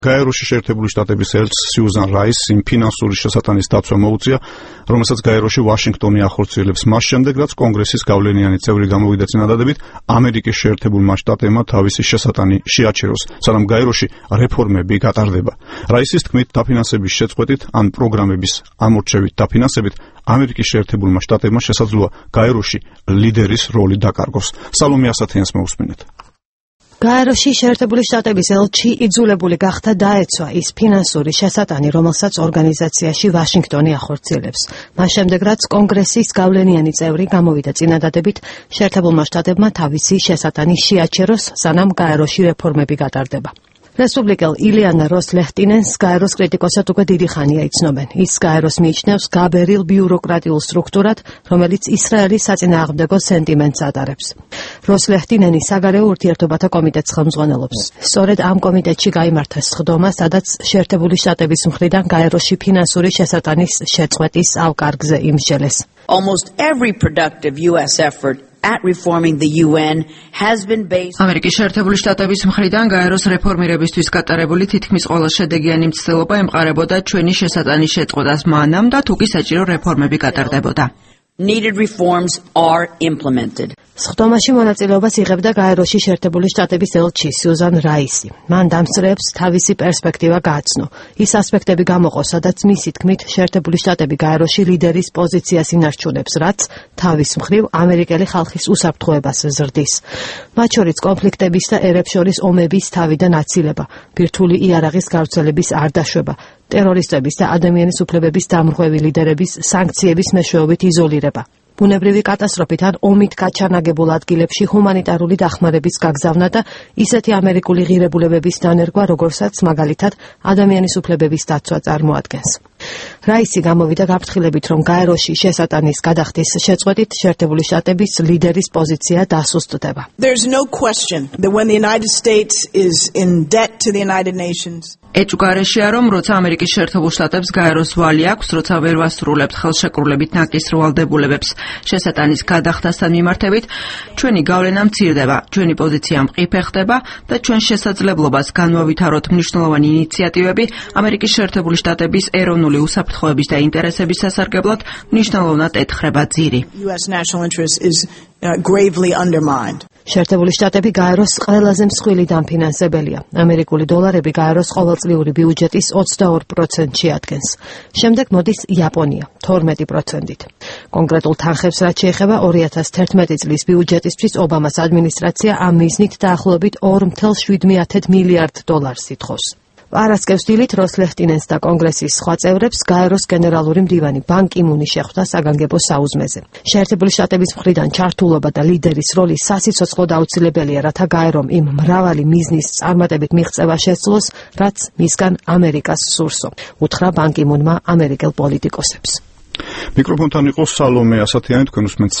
გაეროში შეერთებული შტატების ელჩს სიუზან რაისს იმ ფინანსური შესატანის დაცვა მოუწია, რომელსაც გაეროში ვაშინგტონი ახორციელებს მას შემდეგ, რაც კონგრესის გავლენიანი წევრი გამოვიდა წინადადებით ამერიკის შეერთებულმა შტატებმა თავისი შესატანი შეაჩეროს, სანამ გაეროში რეფორმები გატარდება. რაისის თქმით, დაფინანსების შეწყვეტით ან პროგრამების ამორჩევით დაფინანსებით ამერიკის შეერთებულმა შტატებმა შესაძლოა გაეროში ლიდერის როლი დაკარგოს. სალომე ასათიანს მოусმინეთ. გაეროში შეერთებული შტატების ელჩი იძულებული გახდა დაეცვა ის ფინანსური შესატანი, რომელსაც ორგანიზაციაში ვაშინგტონი ახორციელებს. მას შემდეგ, რაც კონგრესის გავლენიანი წევრი გამოვიდა წინადადებით, შეერთებულმა შტატებმა თავისი შესატანი შეაჩეროს, სანამ გაეროში რეფორმები გატარდება. რესპუბლიკელ ილიანა როს-ლეხტინენს გაეროს კრიტიკოსად უკვე დიდი ხანია იცნობენ. ის გაეროს მიიჩნევს გაბერილ ბიუროკრატიულ სტრუქტურად, რომელიც ისრაელის საწინააღმდეგო სენტიმენტს ატარებს. როს-ლეხტინენი საგარეო ურთიერთობათა კომიტეტს ხელმძღვანელობს. სწორედ ამ კომიტეტში გაიმართა სხდომა, სადაც შეერთებული შტატების მხრიდან გაეროში ფინანსური შესატანის შეწყვეტის ავკარგზე იმსჯელეს. Almost every productive US effort at reforming the UN has been based ამერიკის შეერთებული შტატების მხრიდან გაეროს რეფორმირებისთვის გატარებული თითქმის ყველა შედეგიანი მცდელობა ემყარებოდა ჩვენი შესატანის შეწყვეტას მანამ და თუ კი საჭირო რეფორმები გატარდებოდა. Needed reforms are implemented. სხდომაში მონაწილეობას იღებდა გაეროში შეერთებული შტატების ელჩი სიუზან რაისი. მან დამსწრეებს თავისი პერსპექტივა გააცნო. ის ასპექტები გამოყო, სადაც მისი თქმით შეერთებული შტატები გაეროში ლიდერის პოზიციას ინარჩუნებს, რაც თავის მხრივ ამერიკელი ხალხის უსაფრთხოებას ზრდის. მათ შორის კონფლიქტების და ერებს შორის ომების თავიდან აცილება, ბირთვული იარაღის გავრცელების არ დაშვება, ტერორისტების და ადამიანის უფლებების დამრღვევი ლიდერების სანქციების მეშვეობით იზოლირება. ბუნებრივი კატასტროფით ან ომით გაჩანაგებულ ადგილებში ჰუმანიტარული დახმარების გაგზავნა და ისეთი ამერიკული ღირებულებების დანერგვა, როგორსაც მაგალითად ადამიანის უფლებების დაცვა წარმოადგენს. რაისი გამოვიდა გაფრთხილებით, რომ გაეროში შესატანის გადახდის შეწყვეტით შეერთებული შტატების ლიდერის პოზიცია დასუსტდება. There's no question that when the United States is in debt to the United Nations ეჭვგარეშეა, რომ როცა ამერიკის შეერთებულ შტატებს გაეროს ვალი აქვს, როცა ვერ ვასრულებთ ხელშეკრულებით ნაკისრ ვალდებულებებს შესატანის გადახდასთან მიმართებით, ჩვენი გავლენა მცირდება, ჩვენი პოზიცია მყიფე ხდება და ჩვენ შესაძლებლობას განვავითაროთ მნიშვნელოვანი ინიციატივები ამერიკის შეერთებული შტატების ეროვნული უსაფრთხოების და ინტერესების სასარგებლოდ მნიშვნელოვნად ეთხრება ძირი. US national interest is gravely undermined. შეერთებული შტატები გაეროს ყველაზე მსხვილი დამფინანსებელია. ამერიკული დოლარები გაეროს ყოველწლიური ბიუჯეტის 22%-ში ადგენს. შემდეგ მოდის იაპონია 12%-ით. კონკრეტულ თანხებს რაც შეეხება 2011 წლის ბიუჯეტისთვის ობამას ადმინისტრაცია ამ მიზნით დაახლოებით 2,7 მილიარდ დოლარს ითხოვს. არასკევს დილით როს-ლეხტინენს და კონგრესის სხვა წევრებს გაეროს გენერალური მდივანი ბან კი მუნი შეხვდა საგანგებო საუზმეზე. შეერთებული შტატების მხრიდან ჩართულობა და ლიდერის როლი სასიცოცხლოდ აუცილებელია, რათა გაერომ იმ მრავალი მიზნის წარმატებით მიღწევა შესძლოს, რაც მისგან ამერიკას სურსო. უთხრა ბან კი მუნმა ამერიკელ პოლიტიკოსებს. მიკროფონთან იყო სალომე ასათიანი, თქვენ უსმენთ